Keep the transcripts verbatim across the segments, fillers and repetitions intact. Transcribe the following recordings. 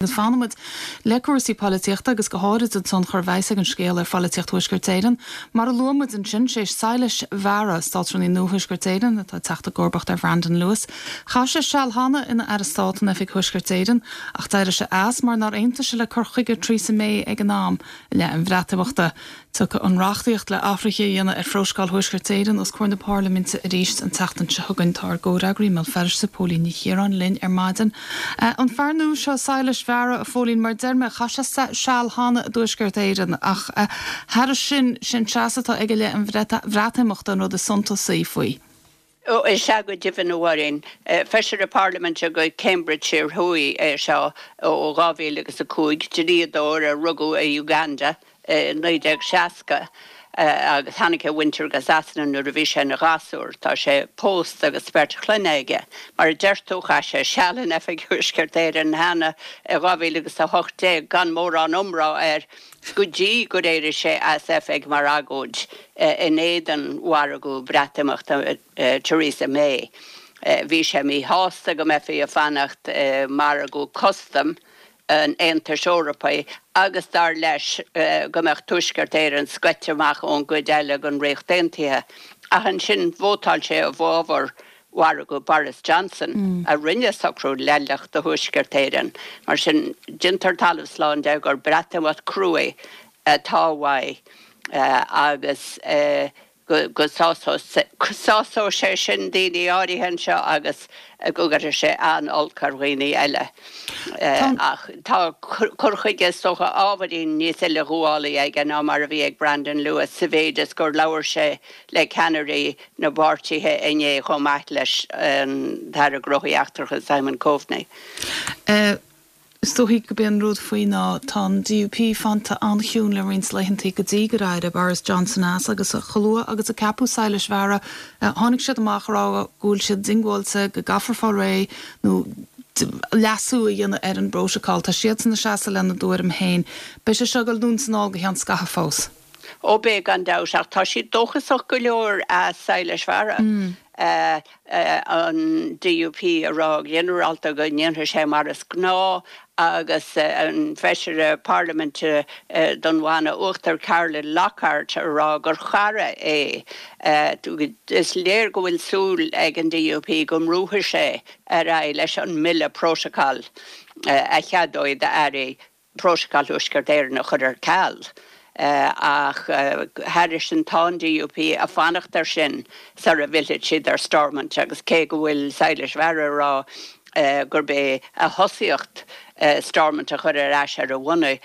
Agus fanfaimid le cúrsaí polaitíochta agus go háirid an tionchar a bheas ag an scéal ar pholaitíocht Thuaisceart Éireann. Mar a luaigh muid ansin sé Silas Vara, Státrúnaí nua Thuaisceart Éireann atá ag teacht i gcomharbacht ar Brandon Lewis. Chaith sé seal cheana ina aire stáit in Oifig Thuaisceart Éireann ach d'éirigh sé as mar nár aontaigh sé le cur chuige Theresa May ag an am i leith an Bhreatimeachta. Tiocfaidh an reachtaíocht le hathruithe a dhéanamh ar Phrótacal Thuaisceart Éireann os comhair na Parlaiminte arís an tseachtain seo chugainn tá ár gcomhfhreagraí i mBéal Feirste Póilín Ní Chiaráin linn ar maidin. An fear nua seo Silas Vara a Phóilín mar deir mé chaith sé seal cheana i dTuaisceart Éireann ach thairis sin sin seasamh atá aige i leith an Bhreatimeachta an rud is suntasaí faoi. Ó is ea go deimhin a Mháirín, feisire parlaiminte go Cambridgeshire Thuaidh é seo ó dhá mhíle agus a cúig, dlíodóir a rugadh i Uganda i naoi déag seasca agus tháinig a mhuintir go Sasana nuair a bhí sé ina ghasúr. Tá sé pósta agus beirt chlainne aige. Mar a deir tú chaith sé seal in Oifig Thuaisceart Éireann cheana i dhá mhíle agus a hocht déag gan mórán iomrá air go dtí gur éirigh sé as oifig mar agóid in éadan mhargadh Breatimeachta Theresa May. Bhí sé míshásta go mbeifí ag fanacht i margadh custaim an Aontais Eorpaigh agus dar leis go mbeadh Tuaisceart Éireann scoite amach ón gcuid eile den Ríocht Aontaithe. Ach ansin vótáil sé i bhfabhar mhargadh Boris Johnson a rinne socrú leithleach do Thuaisceart Éireann. Mar sin déantar talamh slán de gur Breatimeacht cruaidh atá uaidh agus go sásóidh sé sin daoine áirithe anseo agus go gcuirfidh sé an-olc ar dhaoine eile. Ach tá cur chuige is dócha ábhairín níos uileghabhálaí aige ná mar a bhí ag Brandon Lewis sa mhéid is gur labhair sé le ceannairí na bpáirtithe inné chomh maith leis an tAire Gnóthaí Eachtracha Simon Coveney. Is dóigh gurb é an rud faoi ná tá an DUP fanta an-chiúin le roinnt laethanta go dtí gur éirigh Boris Johnson as agus chomh luath agus a ceapadh Silas Vara tháinig siad amach rá go bhfuil siad diongbháilte go gcaithfear fáil réidh nó leasú a dhéanamh ar an bprótacal. Tá siad ina seasamh lena dtuairim féin. Beidh sé seo ag dul anonn is anall go ceann scaithimh fós. Ó beidh gan dabht ach tá siad dóchasach go leor as Silas Vara. Mm. Uh, uh, an DUP a rá ginearálta go ndéanfaidh sé mar is gnáth agus uh, an feisire parlaiminte uh, don Bhanna Uachtar Carolyn Lockhart a rá gur chara é. Uh, is léir go bhfuil súil ag an DUP go mbrúfaidh sé ar aghaidh leis an mbille prótacail uh, a cheadóidh d'airí Prótacal Thuaisceart Éireann a chur ar ceal. Uh, ach uh, thairis sin tá an DUP ag fanacht ar sin sar a bhfillfidh siad ar Stormont agus cé go bhfuil Silas Vara rá uh, gurb é a thosaíocht uh, Stormont a chur ar ais ar a bhonn uh,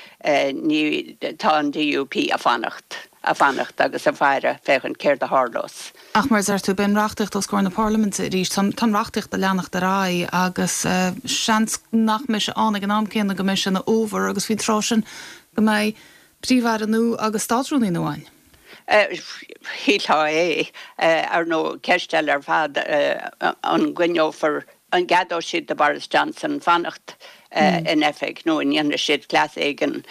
ní tá an DUP ag fanacht ag fanacht agus ag faire féachaint céard a tharlós. Ach mar deir tú beidh an reachtaíocht os comhair na Parlaiminte arís tá an reachtaíocht ag leanacht ar aghaidh agus uh, seans nach mbeidh sé ann ag an am céanna go mbeidh sé ina fhómhar agus faoin tráth sin go mbeidh Príomh-Aire nua agus Státrúnaí nua ann. Shílfeá é ar nó ceist eile ar fad an gcoinneofar an gceadóidh siad do Boris Johnson fanacht in oifig nó an ndéanfaidh siad cleas éigin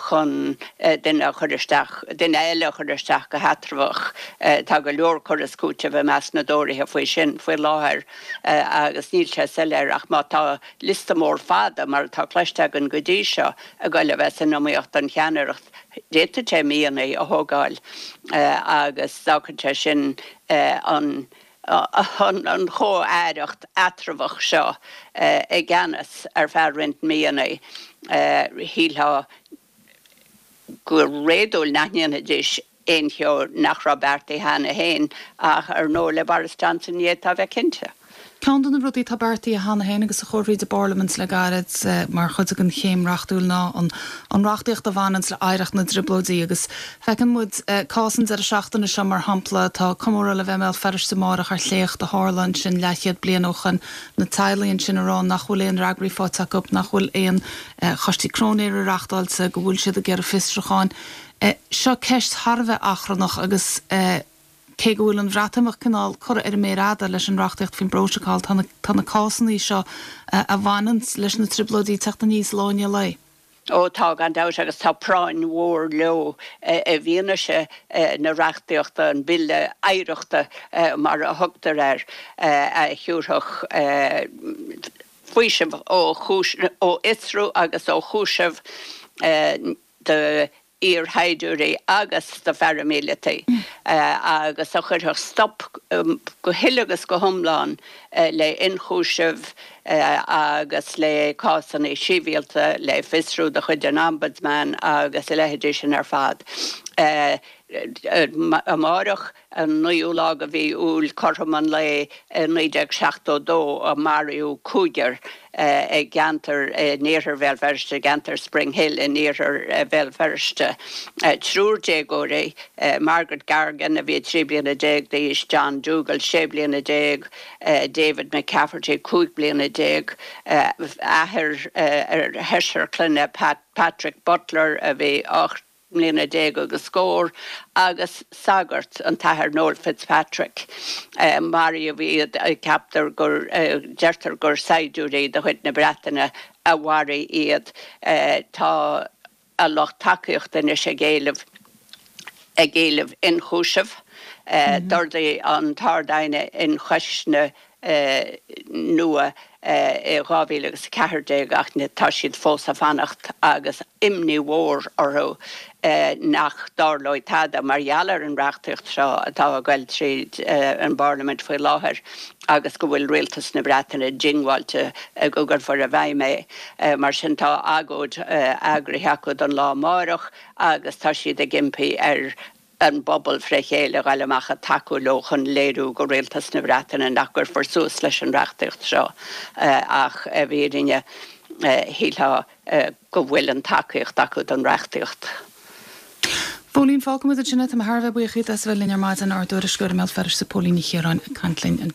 chun duine a chur isteach, duine eile a chur isteach go heatramhach. Tá go leor cur is cúiteamh i measc na dTóraithe faoi sin faoi láthair agus níl sé soiléir ach má tá liosta mór fada mar atá cloiste againn go dtí seo ag dul a bheith san iomaíocht don cheannaireacht d'fhéadfadh sé míonna a thógáil agus d'fhágfadh sé sin an an chomh-aireacht eatramhach seo i gceannas ar feadh roinnt míonna shílfeá go réadúil nach ndéanfaidís aon cheo nach raibh beartaithe cheana féin ach ar ndóigh le Boris Johnson ní fhéadfá bheith cinnte. Ceann de na rudaí atá beartaithe cheana féin agus a chuir tríd an bParlaimint le gairid mar chuid den chéim reachtúil ná an an reachtaíocht a bhaineann le hoidhreacht na dTrioblóidí agus feiceann muid cás an deireadh seachtaine seo mar shampla tá comóradh le bheith i mBéal Feirste amárach ar shléacht a tharla ansin leathchéad bliain ó shin na teaghlaigh ansin a rá nach bhfuil aon fhreagraí faighte acu nach bhfuil aon choistí cróinéara reachtáilte go bhfuil siad ag iarraidh fiosrúcháin. Seo ceist thar a bheith achrannach agus cé go bhfuil an Bhreatimeacht cineál curtha ar an méar fhada leis an reachtaíocht faoin bprótacal tá tá na cásanna seo a bhaineann leis na trioblóidí ag teacht aníos lá i ndiaidh lae. Ó tá gan dabht agus tá práinn mhór leo i bhfianaise na reachtaíochta an bille oidhreachta mar a thugtar air a thabharfadh faoiseamh ó fhiosrú agus ó chúiseamh do iarshaighdiúirí agus do pharaimíleataigh agus a chuirfeadh stop go huile agus go hiomlán le ionchúiseamh agus le cásanna sibhialta, le fiosrú de chuid an Ombudsman agus a leithéidí sin ar fad. Amárach, an naoú lá de mhí Iúil, cothrom an lae i naoi déag seachtó dó a maraíodh cúigear i gceantar in iarthar Bhéal Feirste, i gceantar Springhill in iarthar Bhéal Feirste. Triúr déagóirí, Margaret Gargan a bhí trí bliana déag d'aois, John Dougall sé bliana déag, David McCafferty cúig bliana déag, athair ar sheisear clainne, Patrick Butler a bhí ocht mbliana déag agus scór, agus sagart, an tAthair Noel Fitzpatrick. Maraíodh iad, ceaptar gur, deirtear gur saighdiúirí de chuid na Breataine a mharaigh iad. Tá a lucht tacaíochta anois ag éileamh, ag éileamh ionchúiseamh. D'ordaigh an tArd-Aighne ionchoisne nua i dhá mhíle agus a ceathair déag ach tá siad fós ag fanacht agus imní mhór orthu nach dtarlóidh tada mar gheall ar an reachtaíocht seo atá ag goil tríd an bParlaimint faoi láthair agus go bhfuil Rialtas na Breataine diongbháilte go gcuirfear i bhfeidhm é. Mar sin tá agóid eagraithe acu don lá amárach agus tá siad ag impí ar an bpobal fré chéile a ghoil amach ag tacú leo chun léiriú go Rialtas na Breataine nach gcuirfear suas leis an reachtaíocht seo ach i bhfírinne shílfeá go bhfuil an tacaíocht acu don reachtaíocht. Póilín, fágfaimid ansin é. Tá mé thar a bheith buíoch díot as a bheith linn ar maidin, ár dtuairisceoir i mBéal Feirste, Póilín Ní Chiaráin, ag caint linn anseo.